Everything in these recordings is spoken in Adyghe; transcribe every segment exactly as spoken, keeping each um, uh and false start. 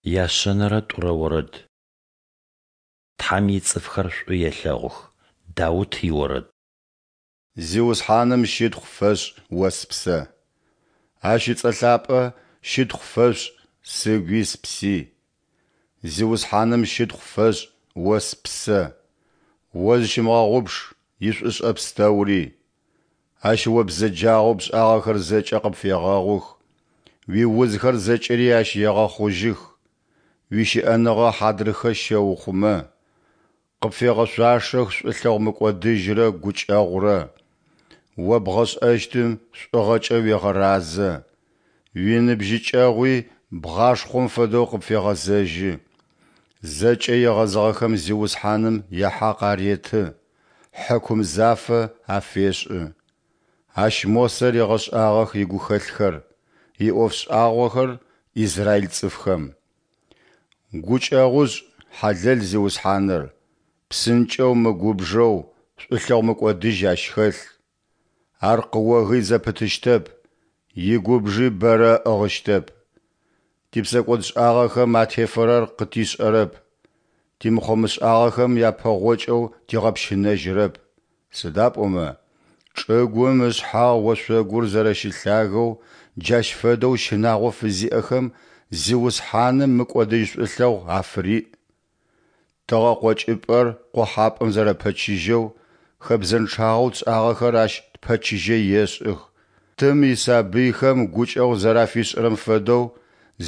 Яшъэнэрэ тӏурэ орэд. Тхьэм ицӏыфхэр шӏу елъэгъух. Даут иорэд. Зиусхьаным щытхъу фэшӏ, о спсэ! Ащ ыцӏэ лъапӏэ щытхъу фэшӏ, сыгуи спси. Зиусхьаным щытхъу фэшӏ, о спсэ! О зыщымыгъэгъупш ишӏушӏэ пстэури. Ащ о бзэджагъэу пшӏагъэхэр зэкӏэ къыпфегъэгъух, уиузхэр зэкӏэри Ащ егъэхъужьых, уищыӏэныгъэ хьадрыхэ щеухъумэ, къыпфегъэшъуашэх шӏулъэгъу мыкӏодыжьрэ гукӏэгъурэ, о бгъэшӏэщтым шӏугъэкӏэ уегъэразэ, уиныбжьыкӏэгъуи бгъашхъом фэдэу къыпфегъэзэжьы. Зэкӏэ егъэзыгъэхэм Зиусхьаным яхьакъ ареты, хьыкум зафэ афешӏы. Ащ Мосэ ригъэшӏагъэх игухэлъхэр, иӏоф шӏагъохэр израиль цӏыфхэм. Гукӏэгъушӏ, хьалэл Зиусхьаныр, псынкӏэу мыгубжэу, шӏулъэгъу мыкӏодыжь Ащ хэлъ. Ар къыогый зэпытыщтэп, игубжи бэрэ ыӏыгъыщтэп. Типсэкӏодшӏагъэхэм атефэрэр къытишӏэрэп, тимыхъо-мышӏагъэхэм япэгъокӏэу тигъэпщынэжьырэп, сыда пӏомэ чӏыгум ышъхьагъ ошъогур зэрэщылъагэу, джащ фэдэу щынагъо фызиӏэхэм Зиусхьаным мыкӏодыжь шӏулъэгъу афыриӏ. Тыгъэ къокӏыпӏэр къохьапӏэм зэрэпэчыжьэу, хэбзэнчъагъэу тшӏагъэхэр Ащ тпэчыжьэ ешӏых. Тым исабыйхэм гукӏэгъу зэрафишӏырэм фэдэу,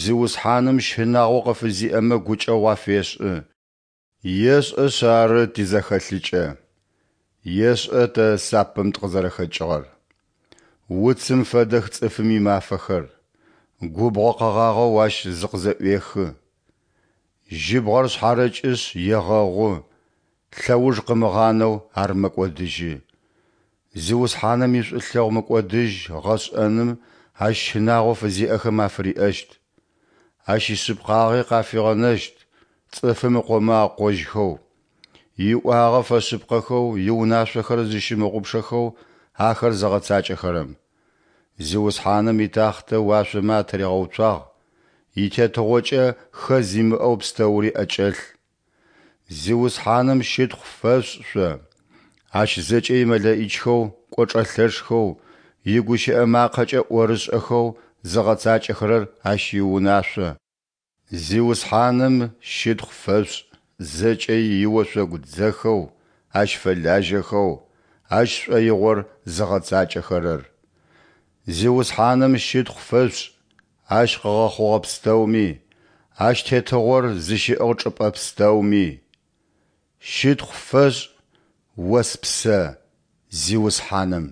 Зиусхьаным щынагъо къыфызиӏэмэ гукӏэгъу афешӏы. Ешӏэшъ ары тизэхэлъыкӏэ, ешӏэ тэ сапэм тыкъызэрэхэкӏыгъэр. Уцым фэдэх цӏыфым имафэхэр, губгъо къэгъагъэу ащ зыкъызэӏуехы. Жьыбгъэр шъхьарэкӏышъ егъэгъу, лъэуж къымыгъанэу ар мэкӏодыжьы. Зиусхьаным ишӏулъэгъу мыкӏодыжь гъэшӏэным Ащ щынагъо фызиӏэхэм афыриӏэщт. Ащ ишъыпкъагъи къафигъэнэщт цӏыфым ыкъомэ акъожьхэу, иӏуагъэ фэшъыпкъэхэу иунашъохэр зыщымыгъупшэхэу ахэр зыгъэцакӏэхэрэм. Зиусхьаным итахътэ уашъомэ атыригъэуцуагъ, итетыгъокӏэ хэз имыӏэу пстэури ӏэкӏэлъ. Зиусхьаным щытхъу фэшъушӏ шъо, Ащ зэкӏэ имэлэӏичхэу кӏочӏэ лъэшхэу, игущыӏэ макъэкӏэ ӏорышӏэхэу зыгъэцакӏэхэрэр Ащ иунашъо. Зиусхьаным щытхъу фэшъушӏ зэкӏэ иошъогу дзэхэу Ащ фэлажьэхэу, Ащ шӏоигъор зыгъэцакӏэхэрэр. Зиусхьаным щытхъу фэшъушӏ Ащ къыгъэхъугъэ пстэуми, Ащ тетыгъор зыщиӏыгъ чӏыпӏэ пстэуми. Щытхъу фэшӏ, о спсэ, Зиусхьаным!